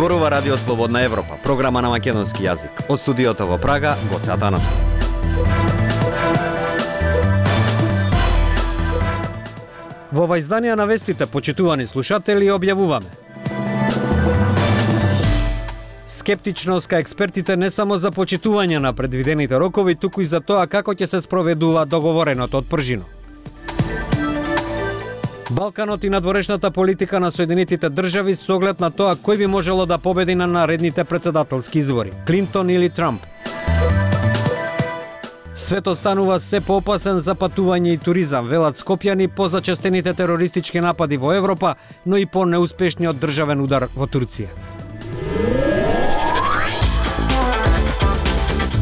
Зборува Радио Слободна Европа, програма на македонски јазик. Од студиото во Прага, Гоце Атанасов. Во ова издание на вестите, почитувани слушатели, објавуваме: скептичност кај експертите не само за почитување на предвидените рокови, туку и за тоа како ќе се спроведува договореното од пржино. Балканот и надворешната политика на Соединетите држави со оглед на тоа кој би можело да победи на наредните претседателски избори, Клинтон или Трамп. Светот станува се поопасен за патување и туризам, велат скопјани по зачестените терористички напади во Европа, но и по неуспешниот државен удар во Турција.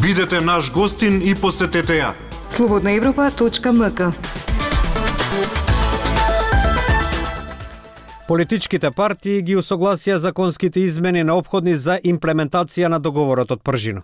Бидете наш гостин и посетете ја. slobodnaevropa.mk. Политичките партии ги усогласија законските измени неопходни за имплементација на договорот од пржино.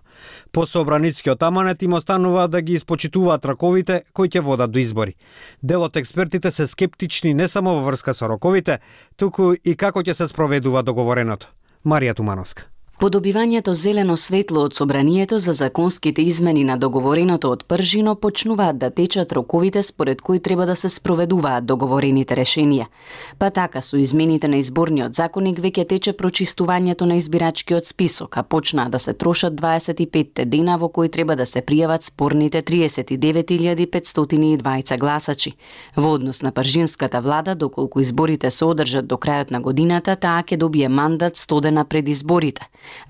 По собранискиот аманет им останува да ги испочитуваат раковите кои ќе водат до избори. Дел од експертите се скептични не само во врска со роковите, туку и како ќе се спроведува договореното. Марија Тумановска. По добивањето зелено светло од собранието за законските измени на договореното од пржино почнуваат да течат роковите според кои треба да се спроведуваат договорените решенија. Па така со измените на изборниот законник веќе тече прочистувањето на избирачкиот список, а почнаа да се трошат 25 дена во кои треба да се пријават спорните 39.520 гласачи. Во однос на пржинската влада, доколку изборите се одржат до крајот на годината, таа ќе добие мандат 100 дена пред изборите.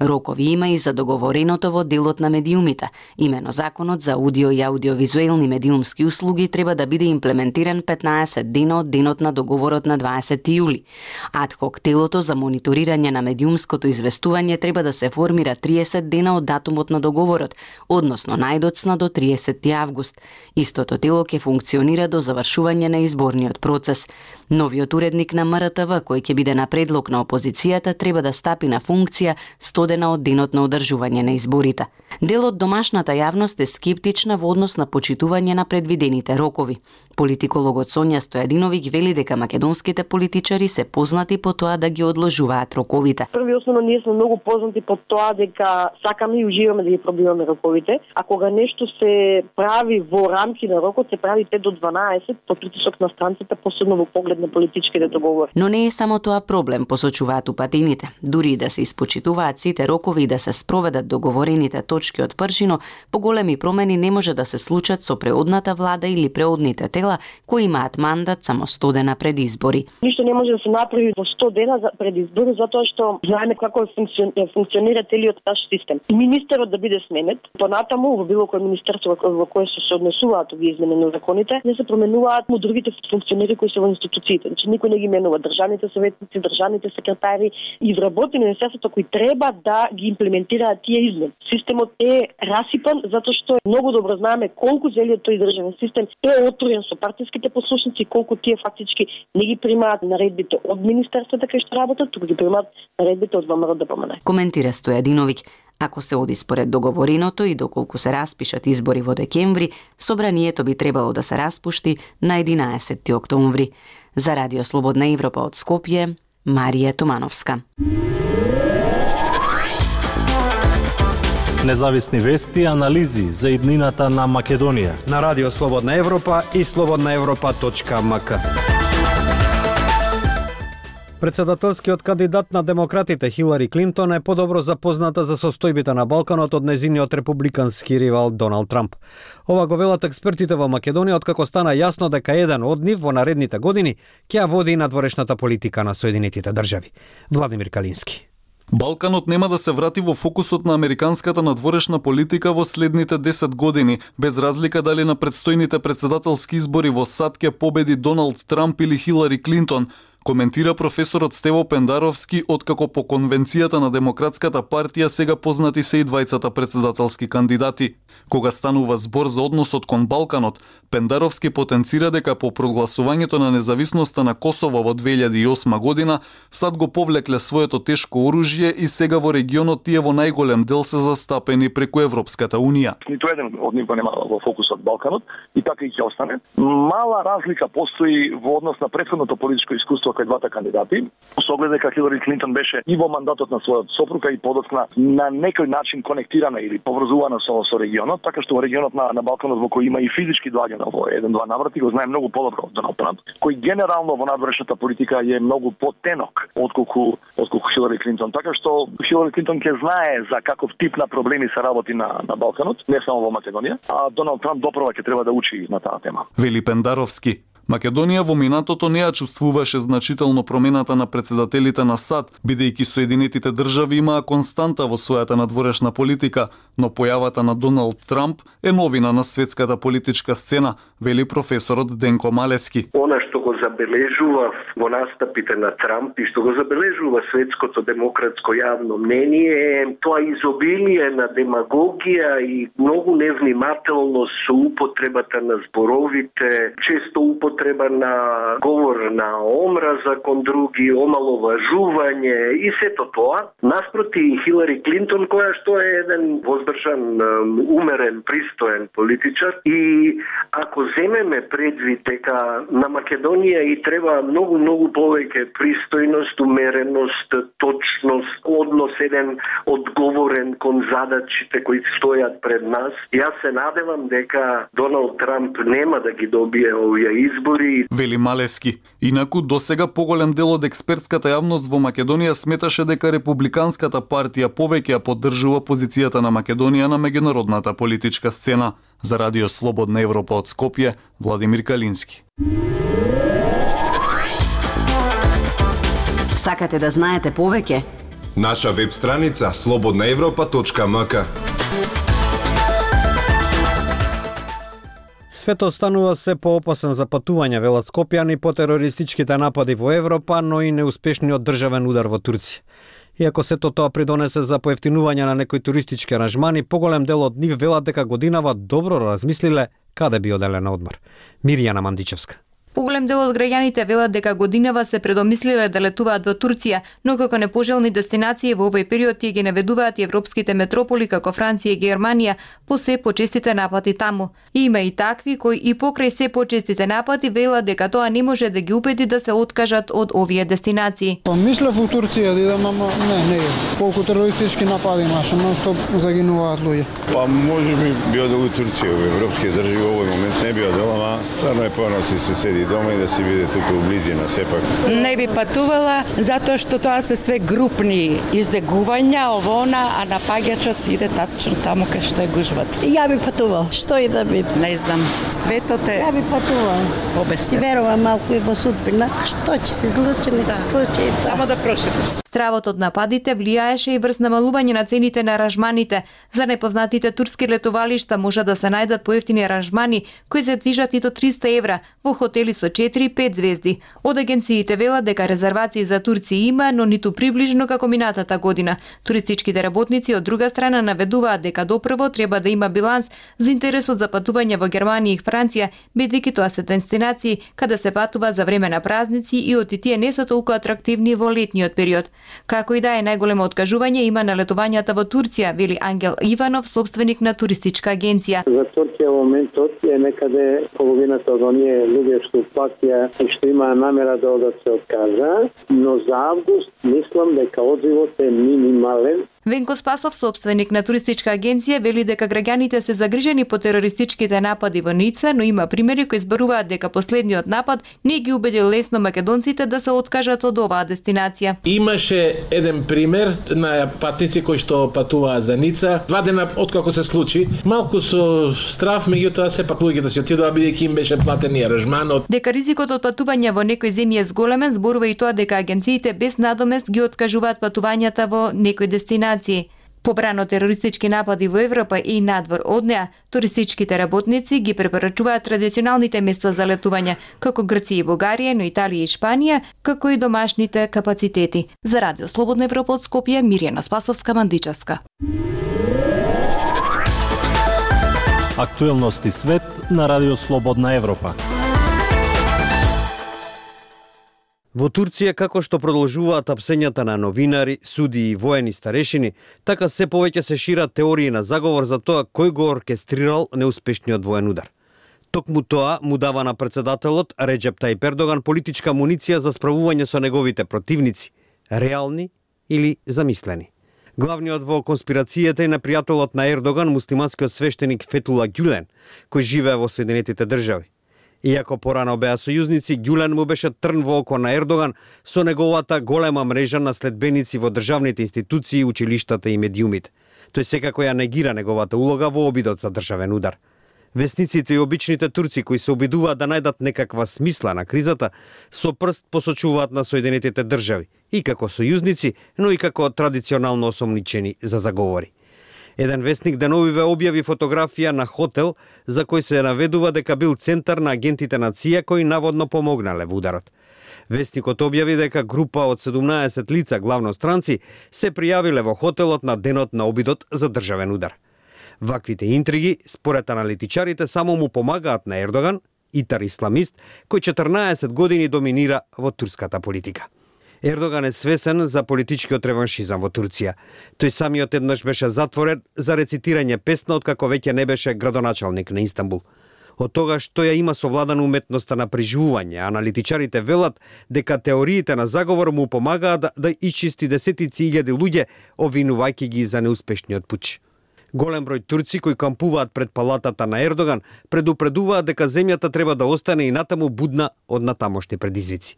Рокови има и за договореното во делот на медиумите. Имено законот за аудио и аудиовизуелни медиумски услуги треба да биде имплементиран 15 дена од денот на договорот на 20 јули. Адхок телото за мониторирање на медиумското известување треба да се формира 30 дена од датумот на договорот, односно најдоцна до 30 август. Истото тело ќе функционира до завршување на изборниот процес. Новиот уредник на МРТВ, кој ќе биде на предлог на опозицијата, треба да стапи на функција 100 дена од денот на одржување на изборите. Дел од домашната јавност е скептична во однос на почитување на предвидените рокови. Политикологот Сонја Стојадиновиќ вели дека македонските политичари се познати по тоа да ги одложуваат роковите. Први основно ние сме многу познати по тоа дека сакаме и уживаме да ги пробиваме роковите, а кога нешто се прави во рамки на рокот, се прави 5 до 12 под притисок на странците, посебно во поглед на политичките договори. Но не е само тоа проблем, посочуваат упатените. Дури и да се испочитуваат сите рокови и да се спроведат договорените точки од пржино, поголеми промени не може да се случат со преодната влада или преодните тела кои имаат мандат само 100 дена пред избори. Ништо не може да се направи во 100 дена пред избори, затоа што знаеме како функционира целиот наш систем. Министерот да биде сменет, понатаму во било кој министерство во кое се однесуваат овие измени на законите, не се променуваат му другите функционери кои се во институциите. Значи никој не ги менува државните советници, државните секретари и вработени на министерството кои треба да ги имплементираат тие измени. Системот е расипан затоа што многу добро знаеме колку целиот тој државен систем е отворен со партиските послушници, колку тие фактички не ги примаат наредбите од министерството кај што работат, туку ги примаат наредбите од ВМРО ДПМН. Коментира Стојадиновиќ. Ако се оди според договореното и доколку се распишат избори во декември, собранието би требало да се распушти на 11 октомври. За Радио Слободна Европа од Скопје, Марија Тумановска. Независни вести и анализи за иднината на Македонија На Радио Слободна Европа и slobodnaevropa.mk. Председателскиот кандидат на демократите Хилари Клинтон е подобро запозната за состојбите на Балканот од незиниот републикански ривал Доналд Трамп. Ова го велат експертите во Македонија откако стана јасно дека еден од нив во наредните години ќе води надворешната политика на Соединетите држави. Владимир Калински. Балканот нема да се врати во фокусот на американската надворешна политика во следните 10 години, без разлика дали на предстојните председателски избори во САД ќе победи Доналд Трамп или Хилари Клинтон, коментира професорот Стево Пендаровски, откако по конвенцијата на Демократската партија сега познати се и двајцата председателски кандидати. Кога станува збор за односот кон Балканот, Пендаровски потенцира дека по прогласувањето на независноста на Косово во 2008 година, САД го повлекле своето тешко оружје и сега во регионот тие во најголем дел се застапени преку Европската Унија. Ниту еден од нив го нема во фокусот Балканот и така и ќе остане. Мала разлика постои во однос на претходното политичко искуство присуство кај двата кандидати. Со оглед дека Хилари Клинтон беше и во мандатот на својот сопруга и подоцна на некој начин конектирана или поврзувана со регионот, така што во регионот на Балканот во кој има и физички доаѓања во еден-два наврати, го знае многу подобро од Доналд Трамп, кој генерално во надворешната политика е многу потенок отколку Хилари Клинтон. Така што Хилари Клинтон ќе знае за каков тип на проблеми се работи на Балканот, не само во Македонија, а Доналд Трамп допрва ќе треба да учи на таа тема. Вели Пендаровски. Македонија во минатото не ја чувствуваше значително промената на председателите на САД, бидејќи Соединетите држави имаа константа во својата надворешна политика, но појавата на Доналд Трамп е новина на светската политичка сцена, вели професорот Денко Малески. Она што го забележува во настапите на Трамп и што го забележува светското демократско јавно мнение е тоа изобилие на демагогија и многу невнимателност со употребата на зборовите, често употреба на говор на омраза кон други, омаловажување и сето тоа. Наспроти Хилари Клинтон, која што е еден воздржан, умерен, пристоен политичар, и ако земеме предвид дека на Македонија и треба многу повеќе пристојност, умереност, точност, однос еден одговорен кон задачите кои стојат пред нас, јас се надевам дека Доналд Трамп нема да ги добие овие избори. Вели Малески. Инаку досега поголем дел од експертската јавност во Македонија сметаше дека Републиканската партија повеќе ја поддржува позицијата на Македонија на меѓународната политичка сцена. За Радио Слободна Европа од Скопје, Владимир Калински. Сакате да знаете повеќе? Наша веб страница slobodnaevropa.mk. Светот станува се поопасен за патување, велат скопјани, по терористичките напади во Европа, но и неуспешниот државен удар во Турција. Иако сето тоа придонесе за поевтинување на некои туристички аранжмани, поголем дел од нив велат дека годинава добро размислиле каде би оделе на одмор. Мирјана Мандичевска. Поголем дел од граѓаните велат дека годинава се предомислиле да летуваат во Турција, но како непожелни дестинации во овој период тие ги наведуваат и европските метрополи како Франција и Германија по се почестите напади таму. И има и такви кои и покрај се почестите напади велат дека тоа не може да ги убеди да се откажат од овие дестинации. Мислев во Турција да идам, ама не. Колку терористички напади имаше, нон-стоп загинуваат луѓе. Па можеби би одел во Турција, во европски држави во овој момент не би одел, ама стварно е поноси се седи дома и да си биде тука у близина сепак. Не би патувала затоа што тоа се све групни изегувања, овона, а напаѓачот иде тачно таму кај што е гужвата. Ја би патувал, што и да биде. Не знам, светот е... Ја би патувал. Обесен. И верувам малку и во судбина, што ќе се случи, не се случи. Само да прошетиш. Стравот од нападите влијаеше и врз намалување на цените на аранжманите. За непознатите турски летовалишта може да се најдат поевтини аранжмани кои се движат и до 300 евра во хотели со 4-5 звезди. Од агенциите велат дека резервации за турци има, но ниту приближно како минатата година. Туристичките работници од друга страна наведуваат дека допрво треба да има биланс за интересот за патување во Германија и Франција, бидејќи тоа се дестинации каде се патува за време на празници и од тие не се толку атрактивни во летниот период. Како и да е, најголемо откажување има на летувањата во Турција, вели Ангел Иванов, собственик на туристичка агенција. За Турција во моментот е некаде половината од оние луѓе што платија и што имаа намера да одат се откажа, но за август мислам дека одзивот е минимален. Венко Спасов, собственик на туристичка агенција, вели дека граѓаните се загрижени по терористичките напади во Ница, но има примери кои зборуваат дека последниот напад не ги убедил лесно македонците да се откажат од оваа дестинација. Имаше еден пример на патници кои што патуваа за Ница. 2 дена откако се случи, малку со страв, меѓутоа сепак луѓето си отидоа бидејќи им беше платен и аранжманот. Дека ризикот од патување во некои земји е зголемен, зборува и тоа дека агенциите без надомест ги откажуваат патувањата во некои дестинации. Побрано терористички напади во Европа и надвор од неа, туристичките работници ги препорачуваат традиционалните места за летување, како Грција и Бугарија, но Италија и Шпанија, како и домашните капацитети. За Радио Слободна Европа од Скопје, Мирјана Спасовска, Мандичевска. Актуелности свет на Радио Слободна Европа. Во Турција, како што продолжуваат апсењата на новинари, суди и воени старешини, така се повеќе се шират теории на заговор за тоа кој го оркестрирал неуспешниот воен удар. Токму тоа му дава на председателот Реджеп Тајип Ердоган политичка муниција за справување со неговите противници, реални или замислени. Главниот во конспирацијата е непријателот на Ердоган, муслиманскиот свештеник Фетула Гюлен, кој живее во Соединетите држави. Иако порано беа сојузници, Гюлен му беше трн во око на Ердоган со неговата голема мрежа на следбеници во државните институции, училиштата и медиумите. Тој секако ја негира неговата улога во обидот за државен удар. Весниците и обичните турци кои се обидуваат да најдат некаква смисла на кризата, со прст посочуваат на Соединетите држави, и како сојузници, но и како традиционално осомничени за заговори. Еден вестник деновиве објави фотографија на хотел за кој се наведува дека бил центар на агентите на ЦИА кои наводно помогнале во ударот. Вестникот објави дека група од 17 лица, главно странци, се пријавиле во хотелот на денот на обидот за државен удар. Ваквите интриги, според аналитичарите, само му помагаат на Ердоган, итар исламист, кој 14 години доминира во турската политика. Ердоган е свесен за политичкиот реваншизам во Турција. Тој самиот еднаш беше затворен за рецитирање песна откако веќе не беше градоначалник на Истанбул. Од тогаш тој ја има совладана уметноста на преживување, аналитичарите велат дека теориите на заговор му помагаат да исчисти десетици илјади луѓе, обвинувајќи ги за неуспешниот пуч. Голем број турци кои кампуваат пред палатата на Ердоган предупредуваат дека земјата треба да остане и натаму будна од натамошни предизвици.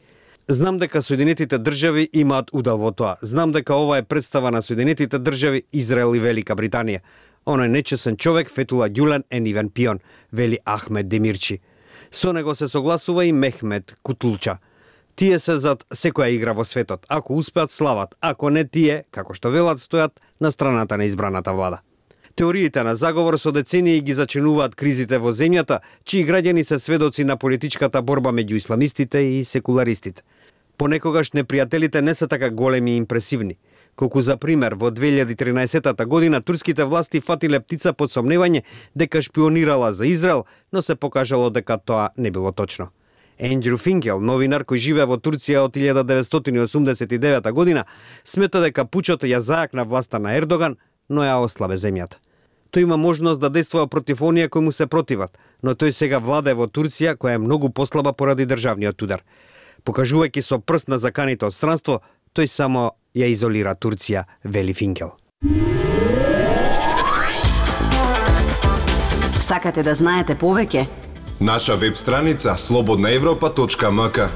Знам дека Соединетите држави имаат удел во тоа. Знам дека ова е представа на Соединетите држави, Израел и Велика Британија. Оној нечесен човек Фетула Гюлен е нивен пион, вели Ахмед Демирчи. Со него се согласува и Мехмед Кутулча. Тие се зад секоја игра во светот. Ако успеат, слават. Ако не, тие, како што велат, стојат на страната на избраната влада. Теориите на заговор со децении ги зачинуваат кризите во земјата, чии граѓани се сведоци на политичката борба меѓу исламистите и секуларистите. Понекогаш непријателите не се така големи и импресивни. Колку за пример, во 2013 година турските власти фатиле птица под сомневање дека шпионирала за Израел, но се покажало дека тоа не било точно. Ендрю Финкел, новинар кој живее во Турција од 1989 година, смета дека пучот ја зајакна власта на Ердоган, но ја ослабе земјата. Тој има можност да действува против оние кои му се противат, но тој сега владее во Турција, која е многу послаба поради државниот удар. Покажувајќи со прст на заканите од странство, тој само ја изолира Турција, вели Финкел. Сакате да знаете повеќе? Наша веб страница slobodnaevropa.mk.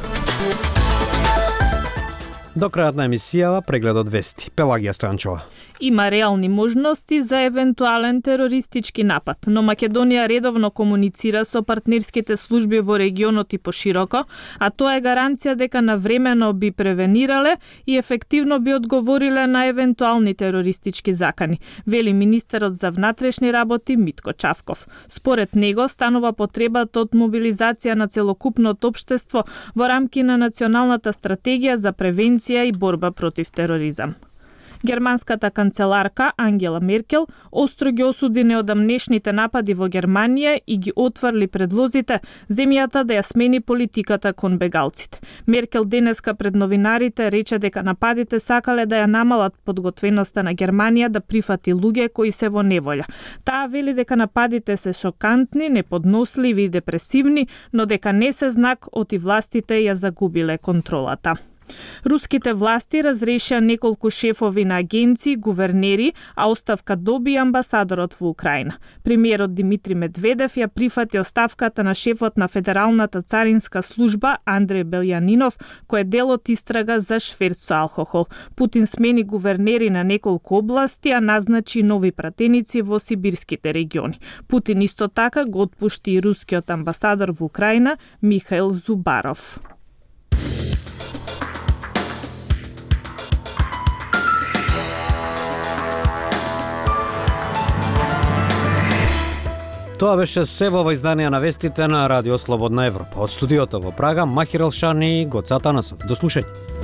До крајот на емисијава прегледот вести. Пелагија Стојанчова. Има реални можности за евентуален терористички напад, но Македонија редовно комуницира со партнерските служби во регионот и пошироко, а тоа е гаранција дека навремено би превенирале и ефективно би одговориле на евентуални терористички закани, вели министерот за внатрешни работи Митко Чавков. Според него станува потребата од мобилизација на целокупното општество во рамки на националната стратегија за превенција и борба против тероризам. Германската канцеларка Ангела Меркел остро ги осуди неодамнешните напади во Германија и ги отврли предлозите земјата да ја смени политиката кон бегалците. Меркел денеска пред новинарите рече дека нападите сакале да ја намалат подготвеноста на Германија да прифати луѓе кои се во неволја. Таа вели дека нападите се шокантни, неподносливи и депресивни, но дека не се знак оти властите ја загубиле контролата. Руските власти разрешија неколку шефови на агенции, гувернери, а оставка доби амбасадорот во Украина. Премиерот Димитри Медведев ја прифати оставката на шефот на Федералната царинска служба Андреј Белјанинов, кој е дел од истрага за шверц со алкохол. Путин смени гувернери на неколку области, а назначи нови пратеници во сибирските региони. Путин исто така го отпушти и рускиот амбасадор во Украина Михаил Зубаров. Тоа беше се во изданија на вестите на Радио Слободна Европа. Од студиото во Прага, Махир Елшани и Гоца Танасов. До слушање.